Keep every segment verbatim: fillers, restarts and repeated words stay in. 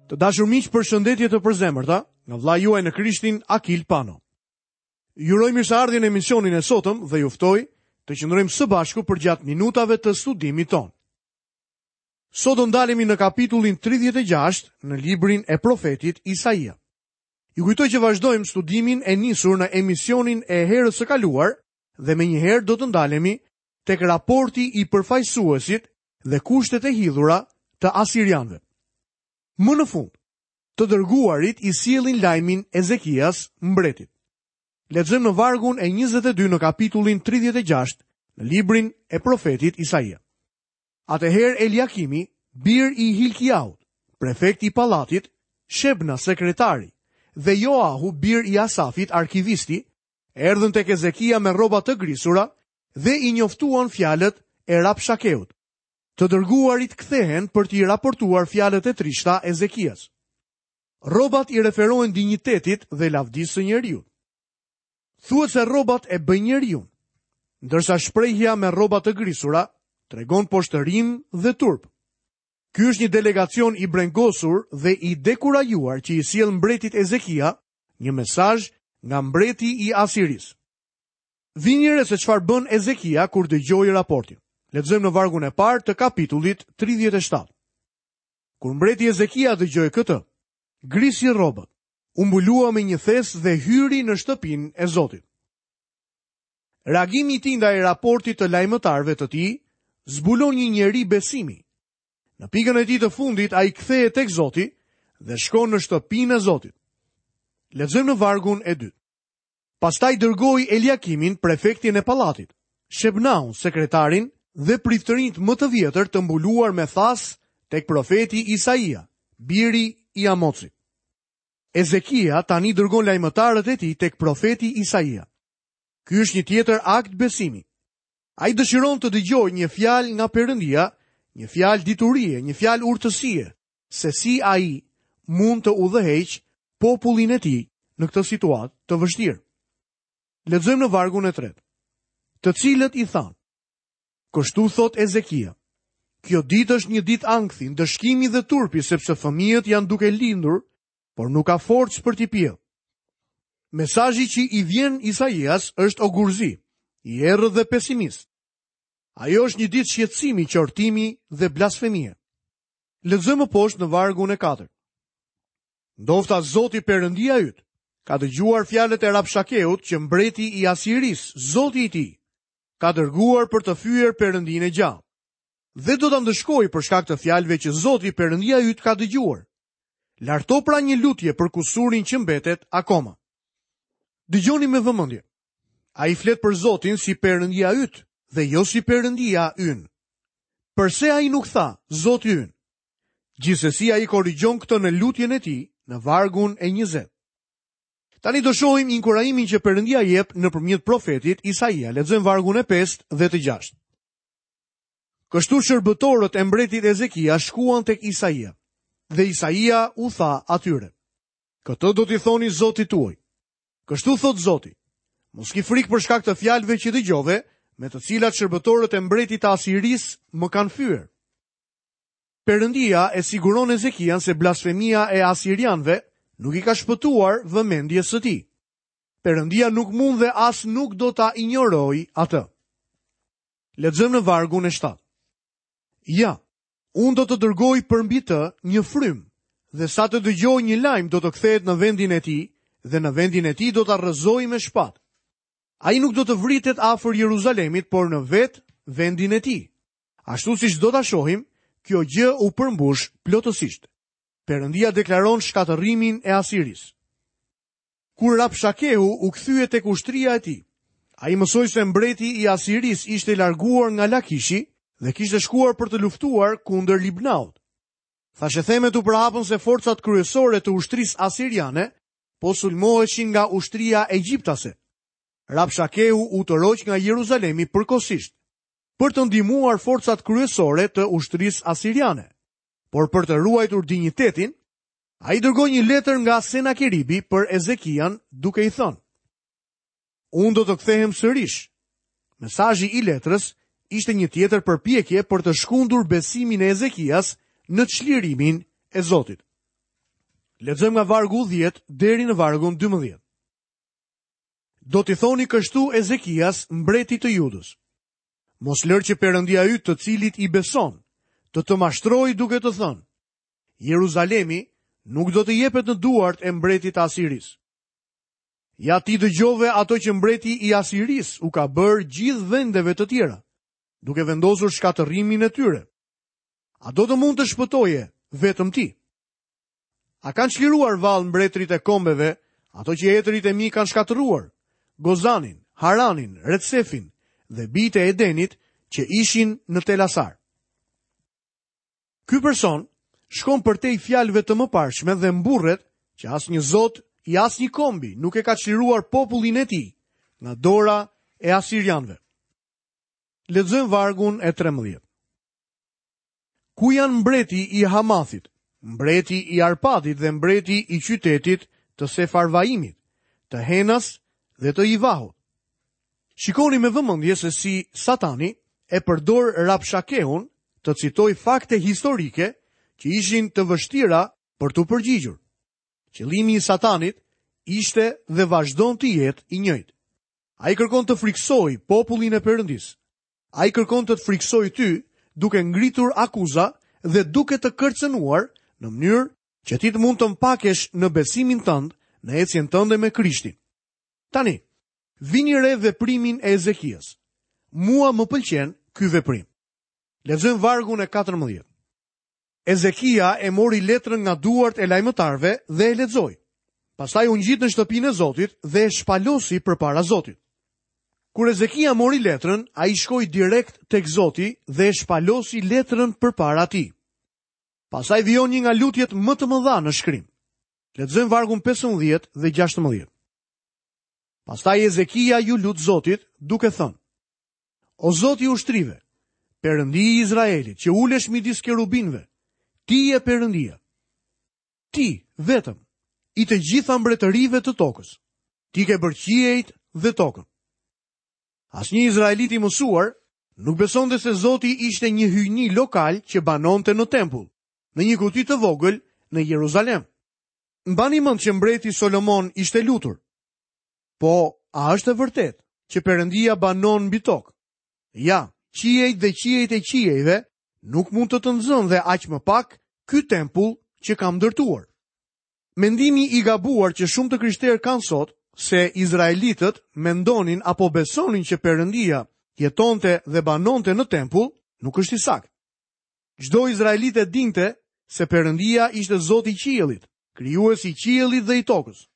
Të dashur miq, përshëndetje të përzemërta nga vëllai juaj në Krishtin Akil Pano. Ju uroj mirëseardhjen në emisionin e sotëm dhe ju ftoj të qëndrojmë së bashku përgjatë minutave të studimit tonë. Sot do ndalemi në kapitullin tridhjetë e gjashtë në librin e profetit Isaia. Ju kujtoj që vazhdojmë studimin e nisur në emisionin e herës së kaluar dhe menjëherë do të ndalemi tek raporti i përfaqësuesit dhe kushtet e hidhura të asirianëve. Më në fund, të dërguarit i sjellin lajmin Ezekias, mbretit. Lexojmë në vargun e njëzet e dy në kapitullin tridhjetë e gjashtë në librin e profetit Isaia. Atëherë Eliakimi, bir i Hilkiaut, prefekti i pallatit, Shebna sekretari dhe Joahu, bir i Asafit, arkivisti, erdhën tek Ezekia me rroba të grisura dhe i njoftuan fjalët e Rabshakeut. Të dërguarit kthehen për t'i raportuar fjalët e trishta Ezekias. Rrobat i referohen dinjitetit dhe lavdisë së njeriut. Thuhet se rrobat e bëjnë njeriun, ndërsa shprehja me rroba të grisura tregon poshtërim dhe turp. Ky është një delegacion i brengosur dhe i dekurajuar që i sjell mbretit Ezekia një mesazh nga mbreti i Asirisë. Vini re se çfarë bën Ezekia kur dëgjoi raportin. Lexojmë në vargun e parë të kapitullit tridhjetë e shtatë. Kur mbreti Ezekia dëgjoi këtë, grisi rrobat, u mbulua me një thes dhe hyri në shtëpinë e Zotit. Reagimi i tij ndaj raportit të lajmëtarëve të tij zbulon një njeri besimi. Në pikën e tij të fundit ai kthehet tek Zoti dhe shkon në shtëpinë e Zotit. Lexojmë në vargun e dytë. Pastaj dërgoi Eliakimin, prefektin e pallatit, Shebnaun, sekretarin dhe priftërinjt më të vjetër të mbuluar me thas tek profeti Isaia, biri i Amocit. Ezekia tani dërgon lajmëtarët e tij tek profeti Isaia. Ky është një tjetër akt besimi. Ai dëshiron të dëgjojë një fjalë nga Perëndia, një fjalë diturie, një fjalë urtësie, se si ai mund të udhëheq popullin e tij në këtë situatë të vështirë. Lexojmë në vargun e tretë. Të cilët i thanë: Kështu thot Ezekia, kjo ditë është një ditë ankthi, ndëshkimi dhe turpi, sepse fëmijët janë duke lindur, por nuk ka forcë për t'i pjellë. Mesazhi që i vjen Isaias është ogurzi, i errët dhe pesimist. Ajo është një ditë shqetësimi, qortimi dhe blasfemie. Lexojmë më poshtë në vargun e katërt. Ndofta Zoti Perëndia yt ka dëgjuar fjalët e Rabshakeut që mbreti i Asirisë, Zoti i tij, ka dërguar për të fyer Perëndinë e gjallë. Dhe do ta ndëshkojë për shkak të fjalëve që Zoti Perëndia yt ka dëgjuar. Larto pra një lutje për kusurin që mbetet akoma. Dëgjoni me vëmendje. Ai flet për Zotin si Perëndia yt dhe jo si Perëndia ynë. Përse ai nuk tha Zoti ynë? Gjithsesi ai korrigjon këtë në lutjen e tij në vargun e njëzet. Tani do shohim inkurajimin që Perëndia jep nëpërmjet profetit Isaia. Lexojmë vargun e pestë dhe të gjashtë. Kështu shërbëtorët e mbretit Ezekia shkuan tek Isaia, dhe Isaia u tha atyre: Këtë do t'i thoni Zotit tuaj. Kështu thot Zoti: Mos ki frikë për shkak të fjalëve që dëgjove, me të cilat shërbëtorët e mbretit të Asirisë më kanë fyer. Perëndia e siguron Ezekian se blasfemia e asirianëve nuk i ka shpëtuar vëmendjes së tij. Perëndia nuk mund dhe as nuk do ta injorojë atë. Lexojmë në vargun e shtatë. Ja, unë do të dërgoj përmbi të një frymë, dhe sa të dëgjoj një lajm do të kthehet në vendin e tij, dhe në vendin e tij do ta rrëzoj me shpatë. Ai nuk do të vritet afër Jeruzalemit, por në vetë vendin e tij. Ashtu siç do ta shohim, kjo gjë u përmbush plotësisht. Perëndia deklaron shkatërrimin e Asirisë. Kur Rabshakeu u kthye tek ushtria e tij, ai mësoi se mbreti i Asirisë ishte larguar nga Lakishi dhe kishte shkuar për të luftuar kundër Libnaut. Thashethemet u përhapën se forcat kryesore të ushtrisë asiriane po sulmoheshin nga ushtria egjiptase. Rabshakeu u tërhoq nga Jeruzalemi përkohësisht për të ndihmuar forcat kryesore të ushtrisë asiriane. Por për të ruajtur dinjitetin, ai dërgoi një letër nga Senakeribi për Ezekian duke i thënë: Unë do të kthehem sërish. Mesazhi i letrës ishte një tjetër përpjekje për të shkundur besimin e Ezekias në çlirimin e Zotit. Lexojmë nga vargu dhjetë deri në vargun dymbëdhjetë. Do t'i thoni kështu Ezekias, mbretit të Judës: Mos lër që Perëndia yt, të cilit i beson, të të mashtrojë duke të thënë: Jeruzalemi nuk do të jepet në duart e mbretit të Asirisë. Ja ti dëgjove ato që mbreti i Asirisë u ka bërë gjithë vendeve të tjera, duke vendosur shkatërrimin e tyre. A do të mund të shpëtoje vetëm ti? A kanë çliruar vallë mbretërit e kombeve, ato që etërit e mi kanë shkatërruar, Gozanin, Haranin, Retsefin dhe bijtë e Edenit që ishin në Telasar? Ky person shkon përtej fjalëve të mëparshme dhe mburret që asnjë zot i asnjë kombi nuk e ka çliruar popullin e tij nga dora e asirianëve. Lexojmë vargun e trembëdhjetë. Ku janë mbreti i Hamathit, mbreti i Arpadit dhe mbreti i qytetit të Sefarvaimit, të Henas dhe të Ivahut? Shikoni me vëmendje se si Satani e përdor Rabshakeun të citoj fakte historike që ishin të vështira për t'u përgjigjur. Qëllimi i Satanit ishte dhe vazhdon të jetë i njëjtë. Ai kërkon të frikësojë popullin e Perëndisë. Ai kërkon të të frikësojë ty duke ngritur akuza dhe duke të kërcënuar në mënyrë që ti të mund të mpakesh në besimin tënd, në ecjen tënde me Krishtin. Tani, vini re veprimin e Ezekias. Mua më pëlqen ky veprim. Lexojmë vargun e katërmbëdhjetë. Ezekia e mori letrën nga duart e lajmëtarëve dhe e lexoi. Pastaj u ngjit në shtëpinë e Zotit dhe e shpalosi përpara Zotit. Kur Ezekia mori letrën, ai shkoi direkt tek Zoti dhe e shpalosi letrën përpara tij. Pastaj vijon një nga lutjet më të mëdha në shkrim. Lexojmë vargun pesëmbëdhjetë dhe gjashtëmbëdhjetë. Pastaj Ezekia ju lut Zotit duke thënë: O Zoti i ushtrive, Perëndi i Izraelit, që ulesh midis kerubinëve, ti je Perëndia. Ti vetëm, i të gjitha mbretërive të tokës. Ti ke bërë qiejt dhe tokën. Asnjë izraelit i mësuar nuk besonte se Zoti ishte një hyjni lokal që banonte në tempull, në një kuti të vogël në Jeruzalem. Mbani mend që mbreti Solomon ishte lutur. Po, a është e vërtetë që Perëndia banon mbi tokë? Ja, qiejt dhe qiejt e qiejve nuk mund të të nxënë dhe aq më pak ky tempull që kam ndërtuar. Mendimi i gabuar që shumë të krishterë kanë sot se izraelitët mendonin apo besonin që Perëndia jetonte dhe banonte në tempull, nuk është i saktë. Çdo izraelit e dinte se Perëndia ishte Zoti i qiellit, krijuesi i qiellit dhe i tokës.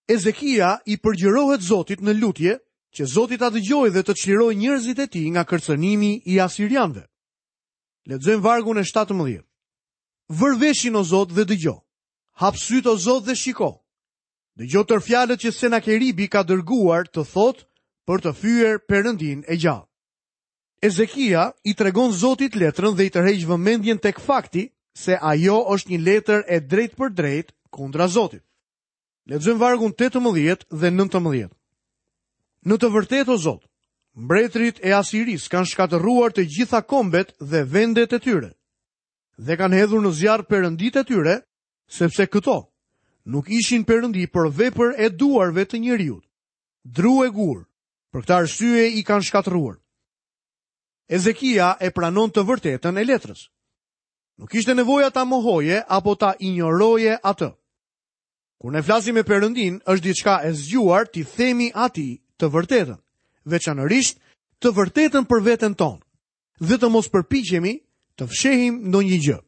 Ezekia i përgjërohet Zotit në lutje që Zoti ta dëgjojë dhe të çlirojë njerëzit e tij nga kërcënimi i asirianëve. Lexojmë vargun e shtatëmbëdhjetë. Vër veshin o Zot dhe dëgjo. Hap syt o Zot dhe shiko. Dëgjo tër fjalët që Senakeribi ka dërguar të thotë për të fyer Perëndin e gjallë. Ezekia i tregon Zotit letrën dhe i tërheq vëmendjen tek fakti se ajo është një letër e drejtë për drejtë kundra Zotit. Lexojmë vargun tetëmbëdhjetë dhe nëntëmbëdhjetë. Në të vërtetë o Zot, mbretërit e Asirisë kanë shkatërruar të gjitha kombet dhe vendet e tyre dhe kanë hedhur në zjarr perënditë e tyre, sepse këto nuk ishin perëndi por vepër e duarve të njeriut, dru e gur, për këtë arsye i kanë shkatërruar. Ezekia e pranon të vërtetën e letrës. Nuk ishte nevoja ta mohoje apo ta injoroje atë. Kur ne flasim me Perëndin, është diçka e zgjuar t'i themi atij të vërtetën, veçanërisht të vërtetën për veten tonë, dhe të mos përpiqemi të fshehim ndonjë gjë.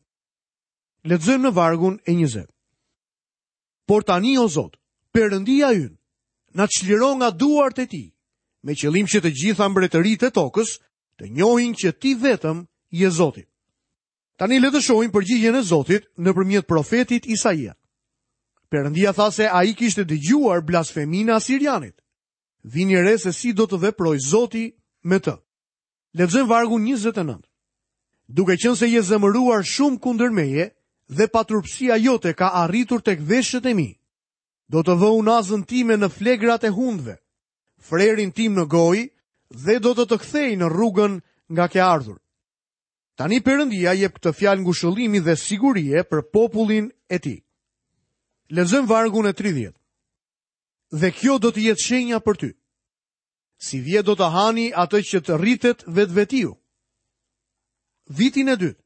Lexojmë në vargun e njëzet. Por tani o Zot, Perëndia ynë, na çliro nga duart e tij, me qëllim që të gjitha mbretëritë e tokës të njohin që ti vetëm je Zoti. Tani le të shohim përgjigjen e Zotit nëpërmjet profetit Isaia. Perëndia tha se ai kishte dëgjuar blasfeminë e asirianit. Vini re se si do të veprojë Zoti me të. Lexojmë vargun njëzet e nëntë. Duke qenë se je zemëruar shumë kundër meje dhe paturpësia jote ka arritur tek veshët e mi, do të vë unazën time në flegrat e hundëve, frerin tim në gojë dhe do të të kthej në rrugën nga ke ardhur. Tani Perëndia jep këtë fjalë ngushëllimi dhe sigurie për popullin e tij. Lexojmë vargun e tridhjetë. Dhe kjo do të jetë shenja për ty. Sivjet do të hani atë që të rritet vetvetiu. Vitin e dytë,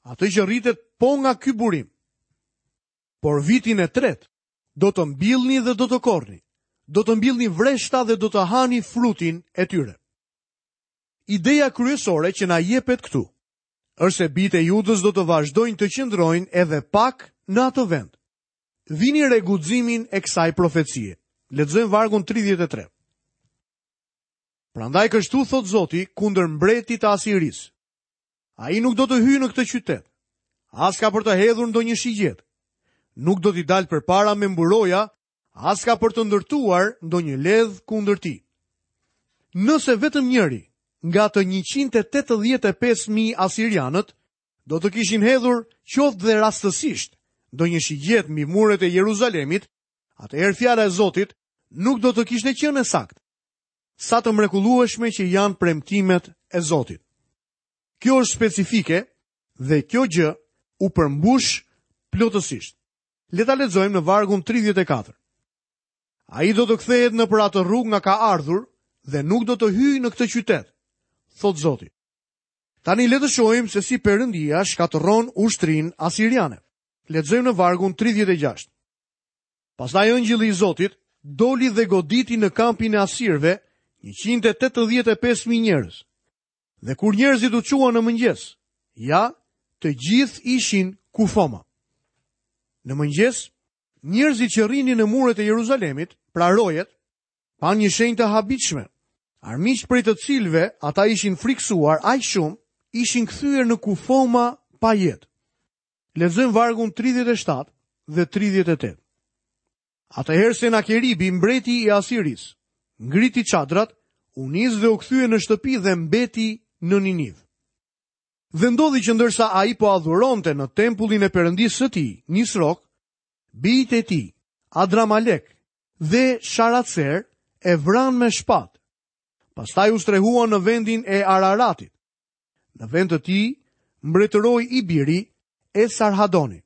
atë që rritet po nga ky burim. Por vitin e tretë, do të mbillni dhe do të korrni. Do të mbillni vreshta dhe do të hani frutin e tyre. Ideja kryesore që na jepet këtu është se bijtë e Judës do të vazhdojnë të qëndrojnë edhe pak në atë vend. Vini re guximin e kësaj profecie. Lexojmë vargun tridhjetë e tre. Prandaj kështu thot Zoti kundër mbretit të Asirisë. Ai nuk do të hyjë në këtë qytet, as ka për të hedhur ndonjë shigjet. Nuk do t'i dalë përpara me mburoja, as ka për të ndërtuar ndonjë ledh kundër tij. Nëse vetëm njëri nga të njëqind e tetëdhjetë e pesë mijë asirianët do të kishin hedhur qoftë dhe rastësisht ndonjë shigjet mbi muret e Jeruzalemit, atëherë fjala e Zotit nuk do të kishte qenë e saktë. Sa të mrekullueshme që janë premtimet e Zotit. Kjo është specifike dhe kjo gjë u përmbush plotësisht. Le ta lexojmë në vargun tridhjetë e katër. Ai do të kthehet në për atë rrugë nga ka ardhur dhe nuk do të hyjë në këtë qytet, thot Zoti. Tani le të shohim se si Perëndia shkatërron ushtrinë asiriane. Lexojmë në vargun tridhjetë e gjashtë. Pastaj engjëlli i Zotit doli dhe goditi në kampin e asirëve njëqind e tetëdhjetë e pesë mijë njerëz. Dhe kur njerëzit u çuan në mëngjes, ja, të gjithë ishin kufoma. Në mëngjes, njerëzit që rrinin në muret e Jeruzalemit, pra rojet, panë një shenjë të habitshme. Armiqt prej të cilëve ata ishin friksuar aq shumë, ishin kthyer në kufoma pa jetë. Lexojmë vargun tridhjetë e shtatë dhe tridhjetë e tetë. Atëherë Senakeribi, mbreti i Asirisë, ngriti çadrat, u nis dhe u kthye në shtëpi dhe mbeti në Niniv. Dhe ndodhi që ndërsa ai po adhuronte në tempullin e Perëndisë së tij, Nisrok, bijtë e tij, Adramalek dhe Sharatser e vranë me shpatë. Pastaj u strehuan në vendin e Araratit. Në vend të tij mbretëroi i biri Esarhadoni.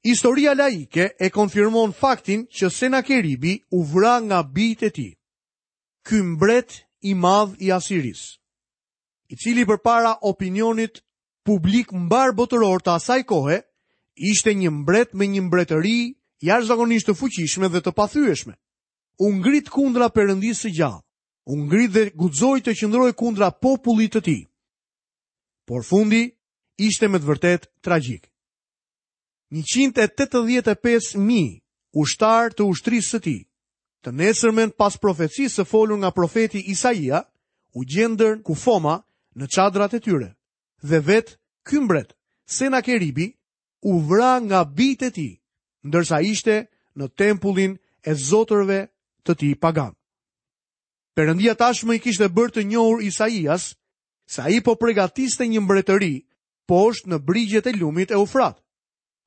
Historia laike e konfirmon faktin që Senakeribi u vra nga bijtë e tij. Ky mbret i madh i Asirisë, i cili përpara opinionit publik mbar botëror të asaj kohe, ishte një mbret me një mbretëri jashtëzakonisht të fuqishme dhe të pathyeshme. U ngrit kundra Perëndisë së gjallë, u ngrit dhe guxoi të qëndrojë kundra popullit të tij. Por fundi ishte me të vërtetë tragjik. njëqind e tetëdhjetë e pesë mijë ushtarë të ushtrisë së tij, të nesërmen pas profecisë së folur nga profeti Isaia, u gjendën kufoma në çadrat e tyre, dhe vetë ky mbret, Senakeribi, u vra nga bijtë e tij, ndërsa ishte në tempullin e zotërve të tij pagan. Perëndia tashmë i kishte bërë të njohur Isaias se ai po përgatiste një mbretëri poshtë në brigjet e lumit Eufrat.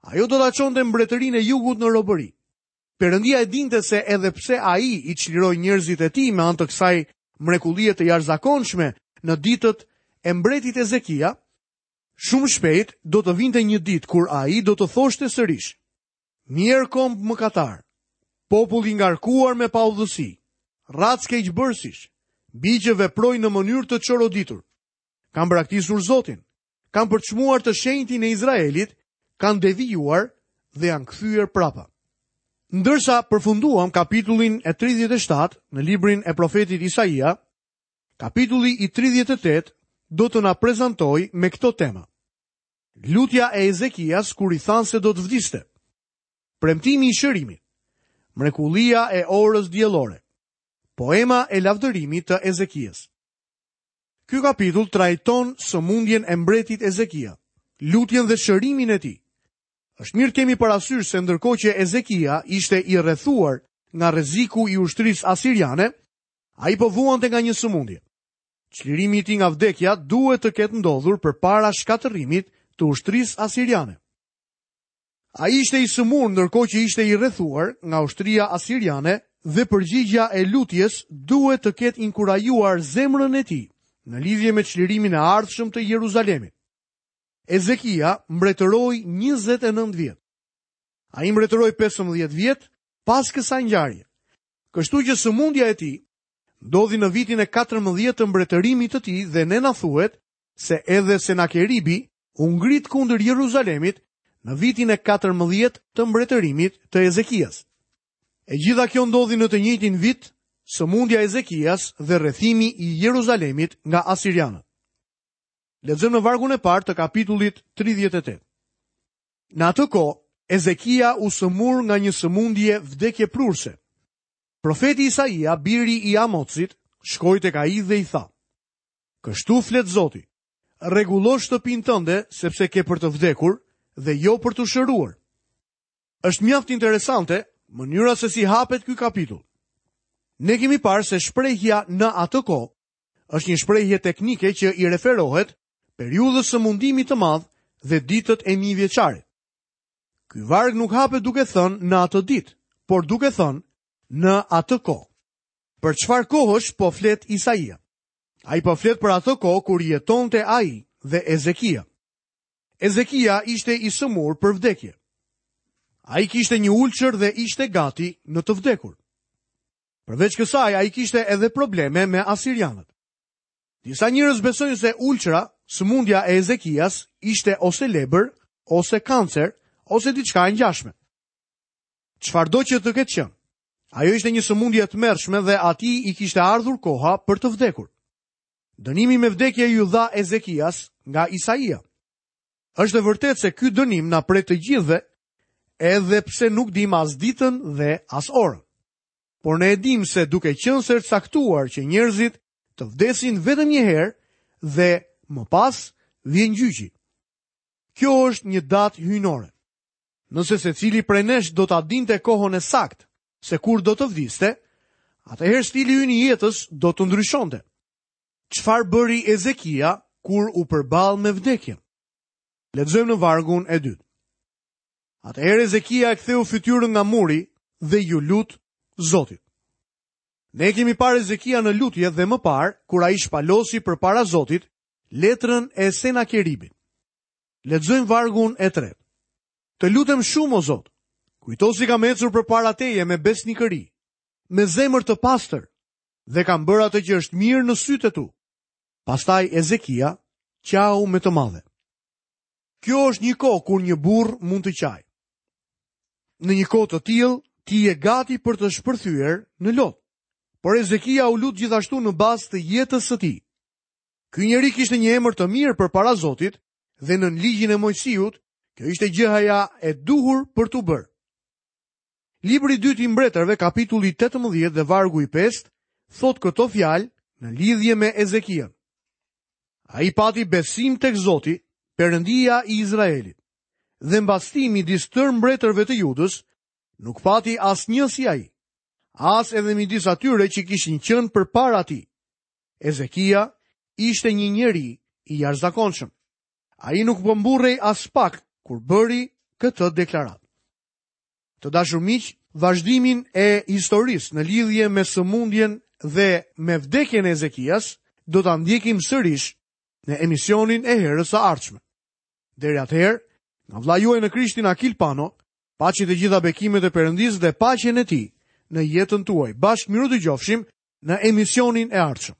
Ajo do ta çonte mbretërinë e jugut në robëri. Perëndia e dinte se edhe pse ai i çliroi njerëzit e tij me anë të kësaj mrekullie të jashtëzakonshme në ditët e mbretit Ezekia, shumë shpejt do të vinte një ditë kur ai do të thoshte sërish: Mjerë komb mëkatar, popull i ngarkuar me paudhësi, racë keqbërsish, bij që veprojnë në mënyrë të çoroditur. Kanë braktisur Zotin, kanë përçmuar të shenjtin e Izraelit, kanë devijuar dhe janë kthyer prapa. Ndërsa përfunduam kapitullin e tridhjetë e shtatë në librin e profetit Isaia, kapitulli i tridhjetë e tetë do të na prezantojë me këto tema. Lutja e Ezekias kur i thanë se do të vdiste. Premtimi i shërimit, mrekullia e orës diellore, poema e lavdërimit të Ezekias. Ky kapitull trajton sëmundjen e mbretit Ezekia, lutjen dhe shërimin e tij. Është mirë kemi parasysh se ndërkohë që Ezekia ishte i rrethuar nga rreziku i ushtrisë asiriane, ai po vuante nga një sëmundje. Çlirimi i tij nga vdekja duhet të ketë ndodhur përpara shkatërrimit të ushtrisë asiriane. Ai ishte i sëmurë ndërkohë që ishte i rrethuar nga ushtria asiriane dhe përgjigjja e lutjes duhet të ketë inkurajuar zemrën e tij në lidhje me çlirimin e ardhshëm të Jeruzalemit. Ezekia mbretëroi njëzet e nëntë vjet. Ai mbretëroi pesëmbëdhjetë vjet pas kësaj ngjarje. Kështu që sëmundja e tij ndodhi në vitin e katërmbëdhjetë të mbretërimit të tij dhe ne na thuhet se edhe Senakeribi u ngrit kundër Jeruzalemit në vitin e katërmbëdhjetë të mbretërimit të Ezekias. E gjitha kjo ndodhi në të njëjtin vit, sëmundja e Ezekias dhe rrethimi i Jeruzalemit nga asirianët. Lexojmë në vargun e parë të kapitullit tridhjetë e tetë. Në atë kohë, Ezekia u sëmur nga një sëmundje vdekjeprurse. Profeti Isaia, biri i Amocit, shkoi tek ai dhe i tha: Kështu flet Zoti, rregullo shtëpinë tënde sepse ke për të vdekur dhe jo për t'u shëruar. Është mjaft interesante mënyra se si hapet ky kapitull. Ne kemi parë se shprehja në atë kohë është një shprehje teknike që i referohet periudhës së mundimit të madh dhe ditët e mijëvjeçarit. Ky varg nuk hapet duke thënë në atë ditë, por duke thënë në atë kohë. Për çfarë kohësh po flet Isaia? Ai po flet për atë kohë kur jetonte ai dhe Ezekia. Ezekia ishte i sëmur për vdekje. Ai kishte një ulçër dhe ishte gati në të vdekur. Përveç kësaj, ai kishte edhe probleme me asirianët. Disa njerëz besojnë se ulçra, sëmundja e Ezekias, ishte ose lebër, ose kancer, ose diçka e ngjashme. Çfarëdo që të ketë qenë, ajo ishte një sëmundje e tmerrshme dhe atij i kishte ardhur koha për të vdekur. Dënimi me vdekje iu dha Ezekias nga Isaia. Është e vërtetë se ky dënim na pret të gjithëve, edhe pse nuk dim as ditën dhe as orën. Por ne e dim se duke qenë se është caktuar që njerëzit të vdesin vetëm një herë dhe më pas vjen gjyqi. Kjo është një datë hyjnore. Nëse secili prej nesh do ta dinte kohën e saktë se kur do të vdiste, atëherë stili ynë i jetës do të ndryshonte. Çfarë bëri Ezekia kur u përball me vdekjen? Lexojmë në vargun e dytë. Atëherë Ezekia e ktheu fytyrën nga muri dhe iu lut Zotit. Ne kemi parë Ezekia në lutje dhe më parë kur ai shpalosi përpara Zotit letrën e Senakeribit. Lexojmë vargun e tretë. Të lutem shumë, o Zot, kujto si kam ecur përpara teje me besnikëri, me zemër të pastër, dhe kam bërë atë që është mirë në sytë e tu. Pastaj Ezekia qau me të madhe. Kjo është një kohë kur një burr mund të qajë. Në një kohë të tillë, ti je gati për të shpërthyer në lot. Por Ezekia u lut gjithashtu në bazë të jetës së tij. Ky njeri kishte një emër të mirë përpara Zotit dhe në ligjin e Mojsiut, kjo ishte gjëja e duhur për t'u bërë. Libri i dytë i Mbretërve, kapitulli tetëmbëdhjetë dhe vargu i pestë, thot këto fjalë në lidhje me Ezekian. Ai pati besim tek Zoti, Perëndia i Izraelit, dhe mbas tij midis tërë mbretërve të Judës nuk pati asnjë si ai, as edhe midis atyre që kishin qenë përpara tij. Ezekia ishte një njeri i jashtëzakonshëm. Ai nuk po mburrej as pak kur bëri këtë deklaratë. Të dashur miq, vazhdimin e historisë në lidhje me sëmundjen dhe me vdekjen e Ezekias do ta ndjekim sërish në emisionin e herës së ardhshme. Deri atëherë, nga vëllai juaj në Krishtin Akil Pano, paçi të gjitha bekimet e Perëndisë dhe paqen e tij në jetën tuaj. Bashkë miru dëgjofshim në emisionin e ardhshëm.